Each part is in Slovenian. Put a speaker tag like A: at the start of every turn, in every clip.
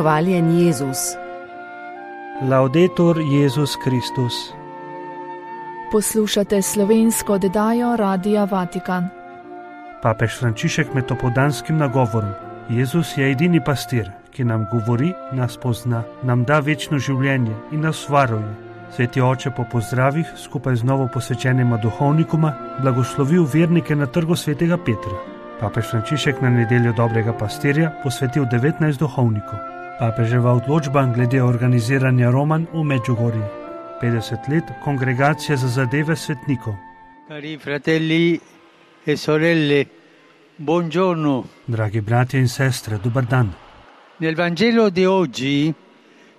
A: Hvaljen Jezus.
B: Laudetur Jezus Kristus.
C: Poslušate slovensko oddajo Radia Vatikan.
B: Papež Frančišek med opoldanskim nagovorom. Jezus je edini pastir, ki nam govori, nas pozna, nam da večno življenje in nas varuje. Sveti oče po pozdravih skupaj z novo posvečenima duhovnikoma blagoslovil vernike na trgu svetega Petra. Papež Frančišek na nedeljo dobrega pastirja posvetil 19 duhovnikov. Papeževa odločba glede organiziranja romanj v Medjugorju. 50 let kongregacije za zadeve svetnikov.
D: Cari fratelli e sorelle, buongiorno.
B: Dragi bratje in sestre, dober dan.
D: Nel Vangelo di oggi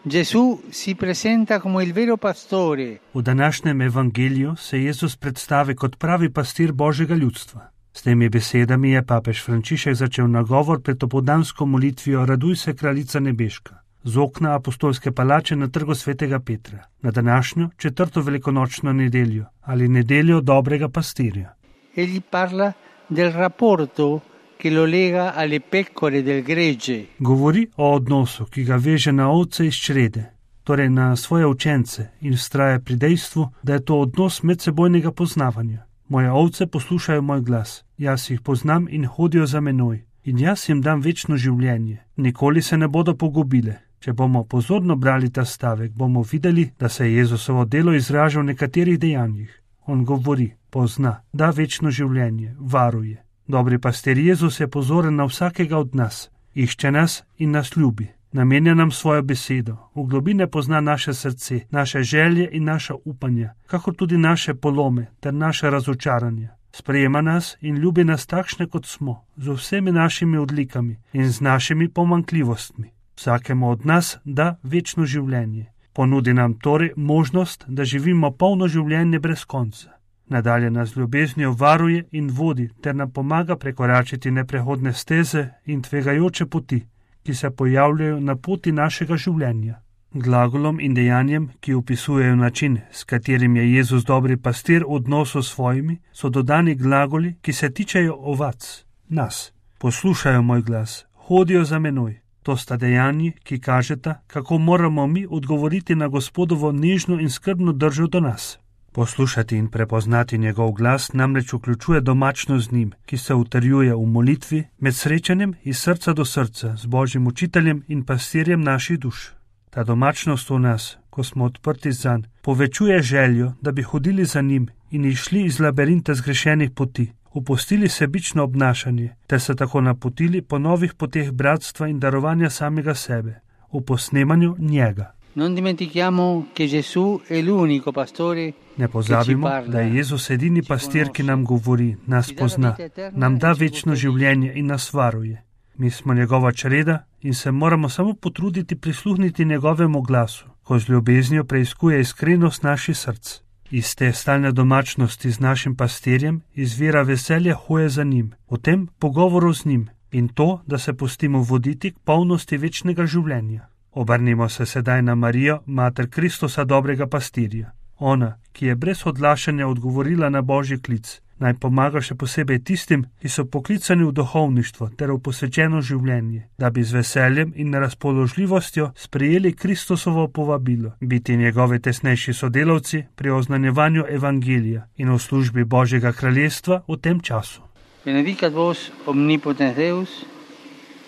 D: Gesù si presenta come il vero pastore.
B: V današnjem evangeliju se Jezus predstavi kot pravi pastir Božjega ljudstva. S temi besedami je papež Frančišek začel nagovor pred opoldansko molitvijo Raduj se, kraljica nebeška, z okna apostolske palače na trgu svetega Petra, na današnjo 4. velikonočno nedeljo ali nedeljo dobrega pastirja.
D: Egli parla del rapporto che lo lega alle pecore del gregge.
B: Govori o odnosu, ki ga veže na ovce iz črede, torej na svoje učence, in vztraja pri dejstvu, da je to odnos medsebojnega poznavanja. Moje ovce poslušajo moj glas, jaz jih poznam in hodijo za menoj, in jaz jim dam večno življenje, nikoli se ne bodo pogubile. Če bomo pozorno brali ta stavek, bomo videli, da se je Jezusovo delo izraža v nekaterih dejanjih. On govori, pozna, da večno življenje, varuje. Dobri pastir Jezus je pozoren na vsakega od nas, išče nas in nas ljubi. Namenja nam svojo besedo, v globine pozna naše srce, naše želje in naša upanja, kakor tudi naše polome ter naše razočaranja. Sprejema nas in ljubi nas takšne, kot smo, z vsemi našimi odlikami in z našimi pomanjkljivostmi. Vsakemu od nas da večno življenje. Ponudi nam torej možnost, da živimo polno življenje brez konca. Nadalje nas ljubeznijo varuje in vodi ter nam pomaga prekoračiti neprehodne steze in tvegajoče poti, ki se pojavljajo na poti našega življenja. Glagolom in dejanjem, ki opisujejo način, s katerim je Jezus dobri pastir v odnosu s svojimi, so dodani glagoli, ki se tičejo ovac, nas. Poslušajo moj glas, hodijo za menoj. To sta dejanji, ki kažeta, kako moramo mi odgovoriti na Gospodovo nežno in skrbno držo do nas. Poslušati in prepoznati njegov glas namreč vključuje domačnost z njim, ki se utrjuje v molitvi med srečanjem iz srca do srca z Božjim učiteljem in pastirjem naših duš. Ta domačnost v nas, ko smo odprti zanj, povečuje željo, da bi hodili za njim in išli iz labirinta zgrešenih poti, opustili sebično obnašanje, ter se tako napotili po novih poteh bratstva in darovanja samega sebe, v posnemanju njega.
D: Non dimentichiamo che Gesù è l'unico pastore.
B: Ne pozabimo, da je Jezus edini pastir, ki nam govori, nas pozna, nam da večno življenje in nas varuje. Mi smo njegova čreda in se moramo samo potruditi prisluhniti njegovemu glasu, ko z ljubeznijo preiskuje iskrenost naših src. Iz te stalne domačnosti z našim pastirjem izvira veselje hoje za njim, v tem pogovoru z njim in to, da se pustimo voditi k polnosti večnega življenja. Obrnimo se sedaj na Marijo, mater Kristusa dobrega pastirja. Ona, ki je brez odlašanja odgovorila na Božji klic, naj pomaga še posebej tistim, ki so poklicani v duhovništvo ter v posvečeno življenje, da bi z veseljem in razpoložljivostjo sprejeli Kristusovo povabilo, biti njegovi tesnejši sodelavci pri oznanjevanju evangelija in v službi Božjega kraljestva v tem času.
D: Benedicat vos omnipotens Deus,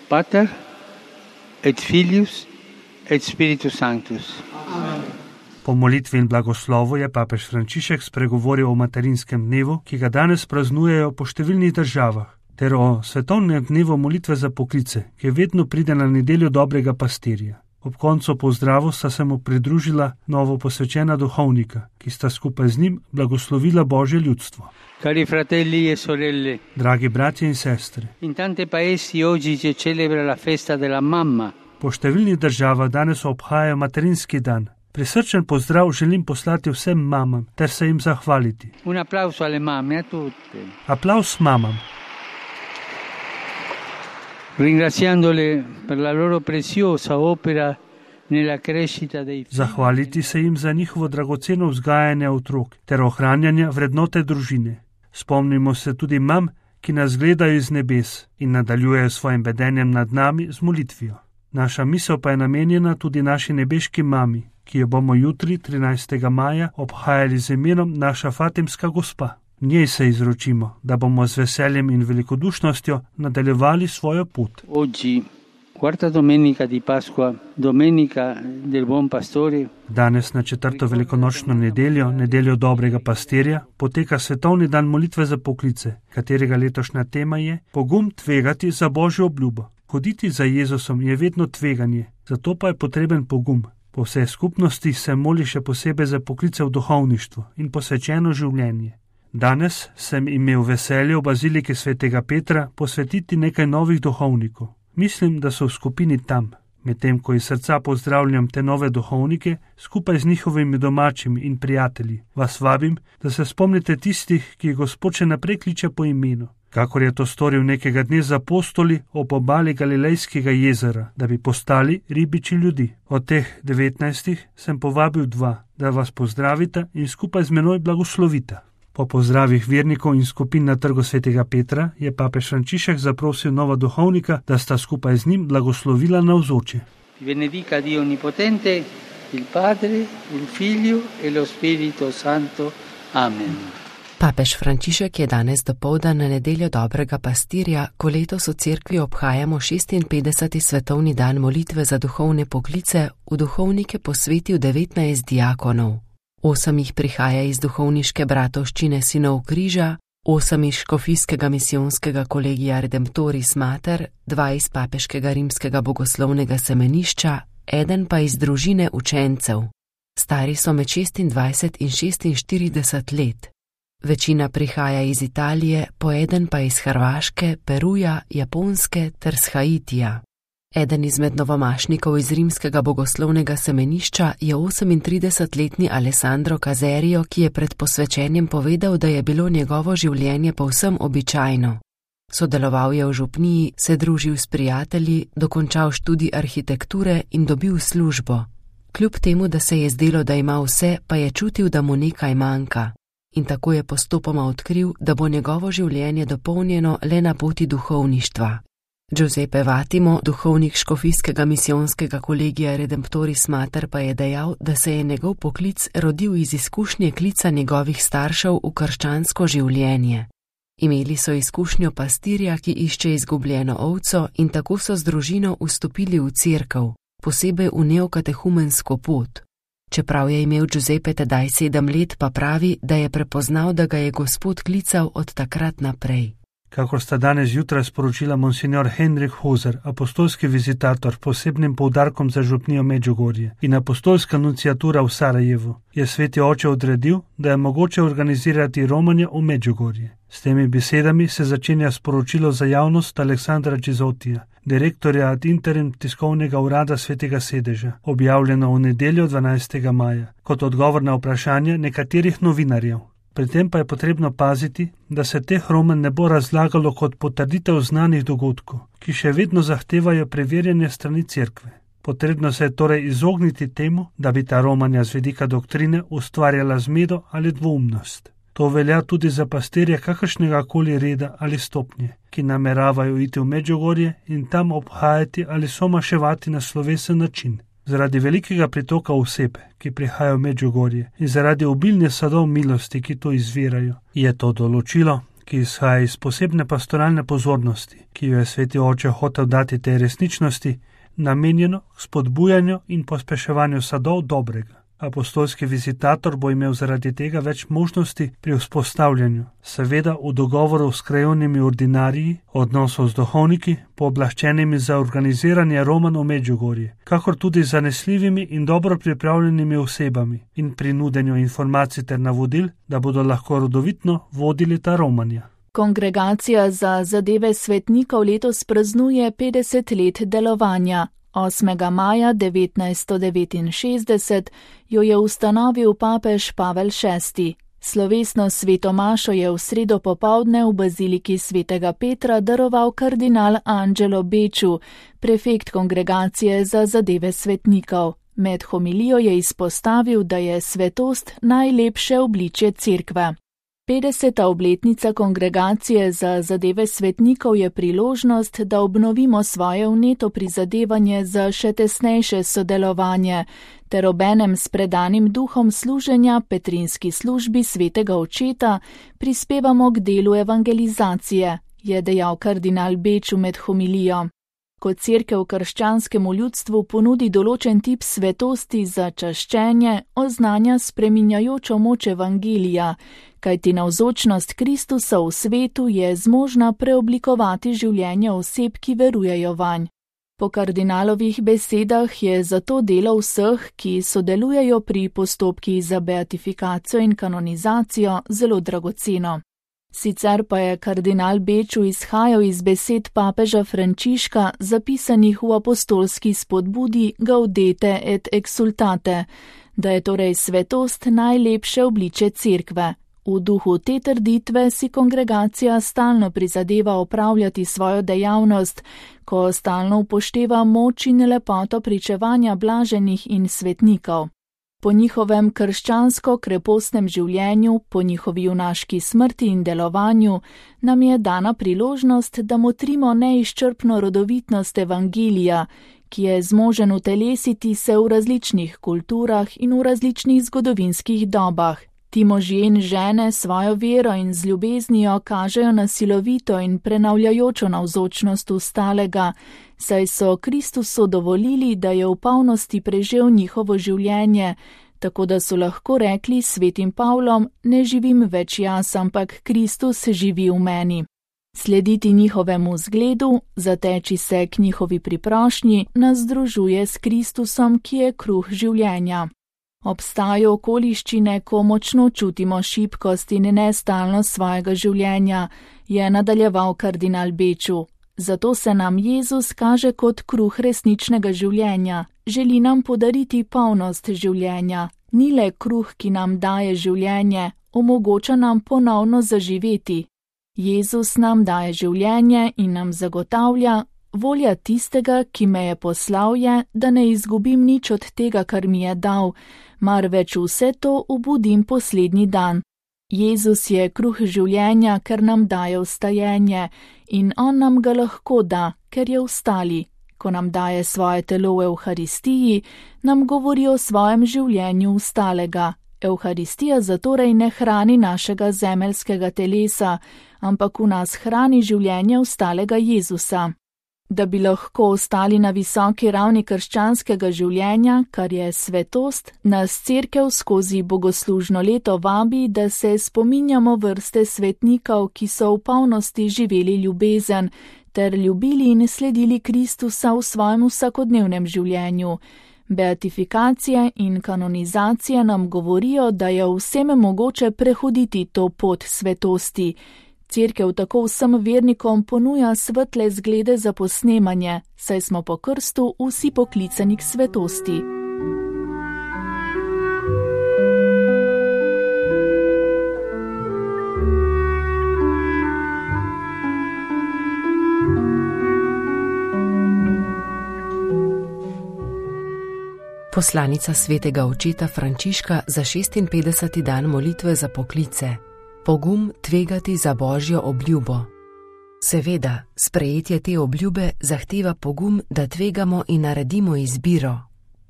D: Pater et Filius et Spiritus Sanctus.
C: Amen.
B: Po molitvi in blagoslovu je papež Frančišek spregovoril o materinskem dnevu, ki ga danes praznujejo po številnih državah, ter o svetovnem dnevu molitve za poklice, ki vedno pride na nedeljo dobrega pastirja. Ob koncu pozdravu sta se mu pridružila novo posvečena duhovnika, ki sta skupaj z njim blagoslovila Božje ljudstvo.
D: Cari fratelli e sorelle,
B: dragi bratje in sestre,
D: in tante paesi oggi si celebra la festa della mamma.
B: Po številnih državah danes obhajajo materinski dan. Prisrčen pozdrav želim poslati vsem mamam ter se jim zahvaliti.
D: Un applauso alle mamme, a tutte.
B: Applaus mamam.
D: Ringraziandole per la loro preziosa opera nella crescita dei figli.
B: Zahvaliti se jim za njihovo dragoceno vzgajanje otrok ter ohranjanje vrednote družine. Spomnimo se tudi mam, ki nas gledajo iz nebes in nadaljujejo svojim vedenjem nad nami z molitvijo. Naša misel pa je namenjena tudi naši nebeški mami, ki jo bomo jutri, 13. maja, obhajali z imenom naša Fatimska gospa. Njej se izročimo, da bomo z veseljem in velikodušnostjo nadaljevali svojo pot.
D: Oggi, quarta domenica di Pasqua, domenica del Buon Pastore.
B: Danes na 4. velikonočno nedeljo, nedeljo dobrega pastirja, poteka svetovni dan molitve za poklice, katerega letošnja tema je pogum tvegati za Božjo obljubo. Hoditi za Jezusom je vedno tveganje, zato pa je potreben pogum. Po vsej skupnosti se moli še posebej za poklice v duhovništvu in posvečeno življenje. Danes sem imel veselje v baziliki svetega Petra posvetiti nekaj novih duhovnikov. Mislim, da so v skupini tam. Medtem ko iz srca pozdravljam te nove duhovnike, skupaj z njihovimi domačimi in prijatelji, vas vabim, da se spomnite tistih, ki jih Gospod še naprej kliče po imenu. Kakor je to storil nekega dne z apostoli ob obali Galilejskega jezera, da bi postali ribiči ljudi. Od teh 19 sem povabil 2, da vas pozdravita in skupaj z menoj blagoslovita. Po pozdravih vernikov in skupin na trgu svetega Petra je papež Frančišek zaprosil nova duhovnika, da sta skupaj z njim blagoslovila navzoče.
D: Benedica Dio Onnipotente, il Padre, il Figlio e lo Spirito Santo. Amen.
A: Papež Frančišek je danes dopoldan na nedeljo dobrega pastirja, ko letos v cerkvi obhajamo 56. svetovni dan molitve za duhovne poklice, v duhovnike posvetil 19 diakonov. 8 jih prihaja iz duhovniške bratovščine Sinov križa, 8 iz škofijskega misijonskega kolegija Redemptoris Mater, 2 iz papeškega rimskega bogoslovnega semenišča, 1 pa iz družine učencev. Stari so med 26 in 46 let. Večina prihaja iz Italije, po 1 pa iz Hrvaške, Peruja, Japonske ter z Haitija. Eden izmed novomašnikov iz rimskega bogoslovnega semenišča je 38-letni Alessandro Caserio, ki je pred posvečenjem povedal, da je bilo njegovo življenje povsem običajno. Sodeloval je v župniji, se družil s prijatelji, dokončal študij arhitekture in dobil službo. Kljub temu, da se je zdelo, da ima vse, pa je čutil, da mu nekaj manjka. In tako je postopoma odkril, da bo njegovo življenje dopolnjeno le na poti duhovništva. Giuseppe Vatimo, duhovnik škofijskega misijonskega kolegija Redemptoris Mater, pa je dejal, da se je njegov poklic rodil iz izkušnje klica njegovih staršev v krščansko življenje. Imeli so izkušnjo pastirja, ki išče izgubljeno ovco, in tako so z družino vstopili v cerkev, posebej v neokatehumensko pot. Čeprav je imel Giuseppe tedaj 7 let, pa pravi, da je prepoznal, da ga je Gospod klical od takrat naprej.
B: Kakor sta danes zjutraj sporočila monsignor Henrik Hoser, apostolski vizitator s posebnim poudarkom za župnijo Medžugorje in apostolska nunciatura v Sarajevu, je sveti oče odredil, da je mogoče organizirati romanje v Medžugorje. S temi besedami se začenja sporočilo za javnost Aleksandra Čizotija, direktorja ad interim tiskovnega urada Svetega sedeža, objavljeno v nedeljo 12. maja, kot odgovor na vprašanje nekaterih novinarjev. Pri tem pa je potrebno paziti, da se teh romanj ne bo razlagalo kot potrditev znanih dogodkov, ki še vedno zahtevajo preverjanje strani cerkve. Potrebno se je torej izogniti temu, da bi ta romanja z vidika doktrine ustvarjala zmedo ali dvoumnost. To velja tudi za pastirje kakršnega koli reda ali stopnje, ki nameravajo iti v Medžugorje in tam obhajati ali somaševati na slovesen način. Zaradi velikega pritoka oseb, ki prihajajo v Medžugorje, in zaradi obilne sadov milosti, ki to izvirajo, je to določilo, ki izhaja iz posebne pastoralne pozornosti, ki jo je sveti oče hotel dati tej resničnosti, namenjeno k spodbujanju in pospeševanju sadov dobrega. Apostolski vizitator bo imel zaradi tega več možnosti pri vzpostavljanju, seveda v dogovoru s krajevnimi ordinariji, odnosov z duhovniki, pooblaščenimi za organiziranje romanj v Medžugorje, kakor tudi z zanesljivimi in dobro pripravljenimi osebami in pri nudenju informacij ter navodil, da bodo lahko rodovitno vodili ta romanja.
C: Kongregacija za zadeve svetnikov letos praznuje 50 let delovanja. 8. maja 1969 jo je ustanovil papež Pavel VI. Slovesno sveto mašo je v sredo popoldne v baziliki svetega Petra daroval kardinal Angelo Becciu, prefekt kongregacije za zadeve svetnikov. Med homilijo je izpostavil, da je svetost najlepše obličje cerkve. 50. obletnica Kongregacije za zadeve svetnikov je priložnost, da obnovimo svoje vneto prizadevanje za še tesnejše sodelovanje, ter obenem s predanim duhom služenja Petrinski službi svetega očeta prispevamo k delu evangelizacije, je dejal kardinal Beču med homilijo. Ko cerkev krščanskemu ljudstvu ponudi določen tip svetosti za čaščenje, oznanja spreminjajočo moč evangelija, kajti navzočnost Kristusa v svetu je zmožna preoblikovati življenje oseb, ki verujejo vanj. Po kardinalovih besedah je zato delo vseh, ki sodelujejo pri postopkih za beatifikacijo in kanonizacijo, zelo dragoceno. Sicer pa je kardinal Beču izhajal iz besed papeža Frančiška, zapisanih v apostolski spodbudi Gaudete et exsultate, da je torej svetost najlepše obliče cerkve. V duhu te trditve si kongregacija stalno prizadeva opravljati svojo dejavnost, ko stalno upošteva moč in lepoto pričevanja blaženih in svetnikov. Po njihovem krščansko krepostnem življenju, po njihovi junaški smrti in delovanju, nam je dana priložnost, da motrimo neizčrpno rodovitnost evangelija, ki je zmožen utelesiti se v različnih kulturah in v različnih zgodovinskih dobah. Ti možje in žene svojo vero in z ljubeznijo kažejo na silovito in prenavljajočo navzočnost ustalega, saj so Kristusu dovolili, da je v polnosti prežel njihovo življenje, tako da so lahko rekli s svetim Pavlom: ne živim več jaz, ampak Kristus živi v meni. Slediti njihovemu zgledu, zateči se k njihovi priprošnji, nas združuje s Kristusom, ki je kruh življenja. Obstajajo okoliščine, ko močno čutimo šibkost in nestalnost svojega življenja, je nadaljeval kardinal Beču. Zato se nam Jezus kaže kot kruh resničnega življenja, želi nam podariti polnost življenja. Ni le kruh, ki nam daje življenje, omogoča nam ponovno zaživeti. Jezus nam daje življenje in nam zagotavlja: volja tistega, ki me je poslal, je, da ne izgubim nič od tega, kar mi je dal, marveč vse to obudim poslednji dan. Jezus je kruh življenja, ker nam daje vstajenje, in on nam ga lahko da, ker je vstali. Ko nam daje svoje telo v Evharistiji, nam govori o svojem življenju vstalega. Evharistija zatorej ne hrani našega zemeljskega telesa, ampak v nas hrani življenje vstalega Jezusa. Da bi lahko ostali na visoki ravni krščanskega življenja, kar je svetost, nas cerkev skozi bogoslužno leto vabi, da se spominjamo vrste svetnikov, ki so v polnosti živeli ljubezen, ter ljubili in sledili Kristusa v svojem vsakodnevnem življenju. Beatifikacije in kanonizacije nam govorijo, da je vsem mogoče prehoditi to pot svetosti. Cerkev tako vsem vernikom ponuja svetle zglede za posnemanje, saj smo po krstu vsi poklicani k svetosti.
A: Poslanica svetega očeta Frančiška za 56. dan molitve za poklice. Pogum tvegati za Božjo obljubo. Seveda, sprejetje te obljube zahteva pogum, da tvegamo in naredimo izbiro.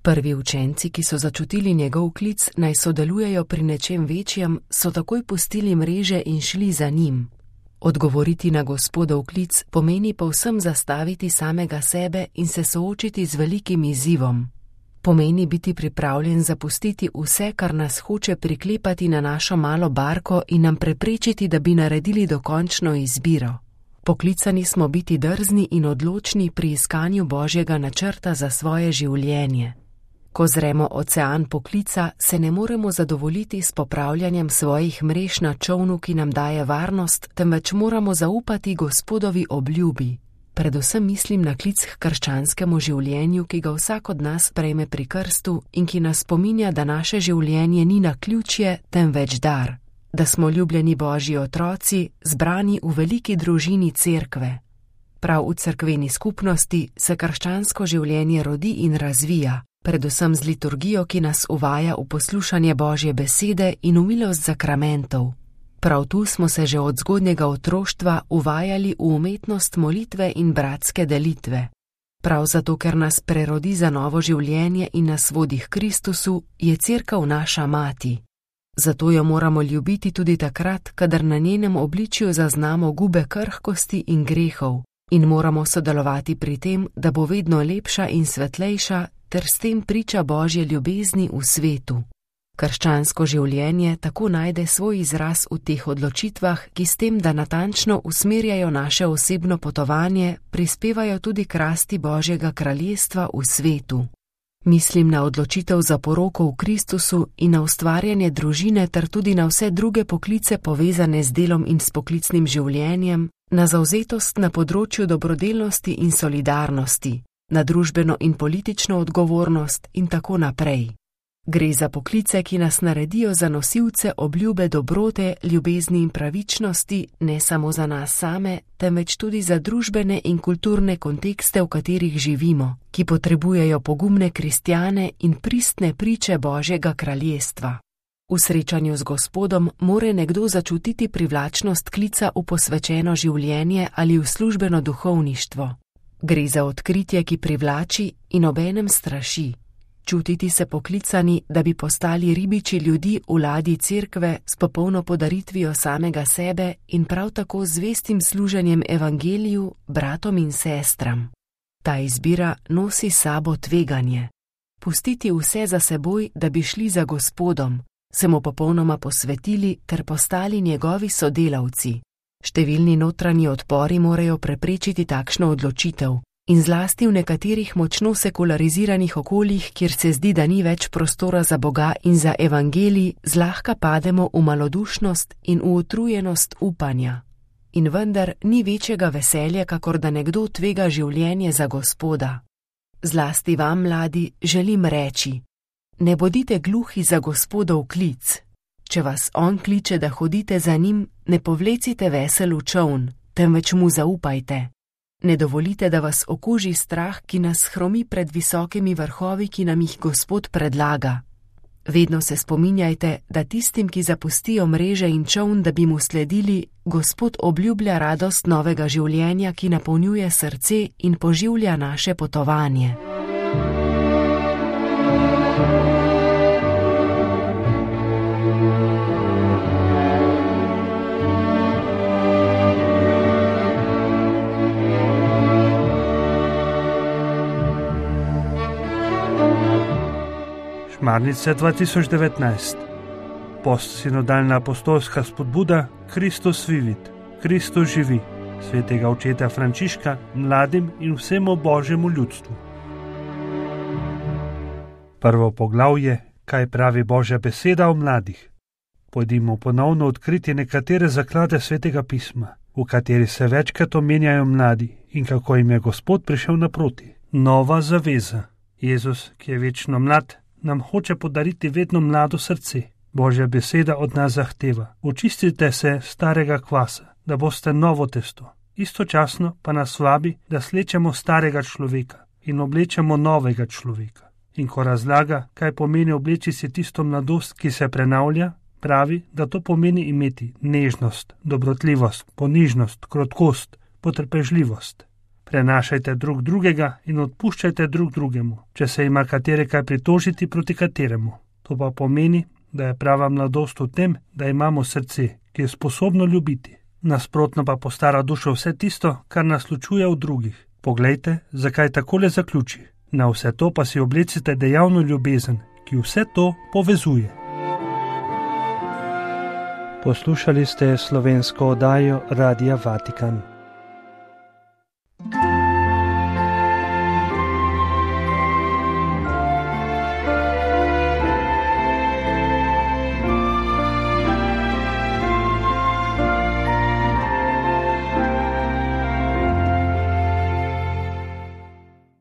A: Prvi učenci, ki so začutili njegov klic, naj sodelujejo pri nečem večjem, so takoj pustili mreže in šli za njim. Odgovoriti na Gospodov klic pomeni povsem zastaviti samega sebe in se soočiti z velikim izzivom. Pomeni biti pripravljen zapustiti vse, kar nas hoče priklepati na našo malo barko in nam preprečiti, da bi naredili dokončno izbiro. Poklicani smo biti drzni in odločni pri iskanju Božjega načrta za svoje življenje. Ko zremo ocean poklica, se ne moremo zadovoljiti s popravljanjem svojih mrež na čolnu, ki nam daje varnost, temveč moramo zaupati Gospodovi obljubi. Predvsem mislim na klic k krščanskemu življenju, ki ga vsak od nas prejme pri krstu in ki nas spominja, da naše življenje ni naključje, temveč dar. Da smo ljubljeni Božji otroci, zbrani v veliki družini cerkve. Prav v cerkveni skupnosti se krščansko življenje rodi in razvija, predvsem z liturgijo, ki nas uvaja v poslušanje Božje besede in v milost zakramentov. Prav tu smo se že od zgodnjega otroštva uvajali v umetnost molitve in bratske delitve. Prav zato, ker nas prerodi za novo življenje in nas vodi k Kristusu, je Cerkev naša mati. Zato jo moramo ljubiti tudi takrat, kadar na njenem obličju zaznamo gube krhkosti in grehov, in moramo sodelovati pri tem, da bo vedno lepša in svetlejša, ter s tem priča Božje ljubezni v svetu. Krščansko življenje tako najde svoj izraz v teh odločitvah, ki s tem, da natančno usmerjajo naše osebno potovanje, prispevajo tudi k rasti Božjega kraljestva v svetu. Mislim na odločitev za poroko v Kristusu in na ustvarjanje družine ter tudi na vse druge poklice povezane z delom in s poklicnim življenjem, na zavzetost na področju dobrodelnosti in solidarnosti, na družbeno in politično odgovornost in tako naprej. Gre za poklice, ki nas naredijo za nosilce obljube dobrote, ljubezni in pravičnosti, ne samo za nas same, temveč tudi za družbene in kulturne kontekste, v katerih živimo, ki potrebujejo pogumne kristjane in pristne priče Božjega kraljestva. V srečanju z Gospodom more nekdo začutiti privlačnost klica v posvečeno življenje ali v službeno duhovništvo. Gre za odkritje, ki privlači in obenem straši. Čutiti se poklicani, da bi postali ribiči ljudi v ladji Cerkve s popolno podaritvijo samega sebe in prav tako zvestim služenjem evangeliju, bratom in sestram. Ta izbira nosi sabo tveganje. Pustiti vse za seboj, da bi šli za Gospodom, se mu popolnoma posvetili ter postali njegovi sodelavci. Številni notranji odpori morajo preprečiti takšno odločitev. In zlasti v nekaterih močno sekulariziranih okoljih, kjer se zdi, da ni več prostora za Boga in za evangelij, zlahka pademo v malodušnost in v utrujenost upanja. In vendar ni večjega veselja, kakor da nekdo tvega življenje za Gospoda. Zlasti vam, mladi, želim reči: ne bodite gluhi za Gospodov klic. Če vas on kliče, da hodite za njim, ne povlecite vesel v čoln, temveč mu zaupajte. Ne dovolite, da vas okuži strah, ki nas hromi pred visokimi vrhovi, ki nam jih Gospod predlaga. Vedno se spominjajte, da tistim, ki zapustijo mreže in čoln, da bi mu sledili, Gospod obljublja radost novega življenja, ki napolnjuje srce in poživlja naše potovanje.
B: Šmarnice 2019. Postsinodalna apostolska spodbuda Kristus vivit, Kristus živi, svetega očeta Frančiška mladim in vsemu Božjemu ljudstvu. Prvo poglavje, kaj pravi Božja beseda o mladih. Pojdimo ponovno odkriti nekatere zaklade Svetega pisma, v kateri se večkrat omenjajo mladi in kako jim je Gospod prišel naproti. Nova zaveza. Jezus, ki je večno mlad, nam hoče podariti vedno mlado srce. Božja beseda od nas zahteva: očistite se starega kvasa, da boste novo testo. Istočasno pa nas vabi, da slečemo starega človeka in oblečemo novega človeka. In ko razlaga, kaj pomeni obleči si tisto mladost, ki se prenavlja, pravi, da to pomeni imeti nežnost, dobrotljivost, ponižnost, krotkost, potrpežljivost. Prenašajte drug drugega in odpuščajte drug drugemu, če se ima katere kaj pritožiti proti kateremu. To pa pomeni, da je prava mladost v tem, da imamo srce, ki je sposobno ljubiti. Nasprotno pa postara dušo vse tisto, kar nas ločuje od drugih. Poglejte, zakaj takole zaključi. Na vse to pa si oblecite dejavno ljubezen, ki vse to povezuje. Poslušali ste slovensko oddajo Radia Vatikan.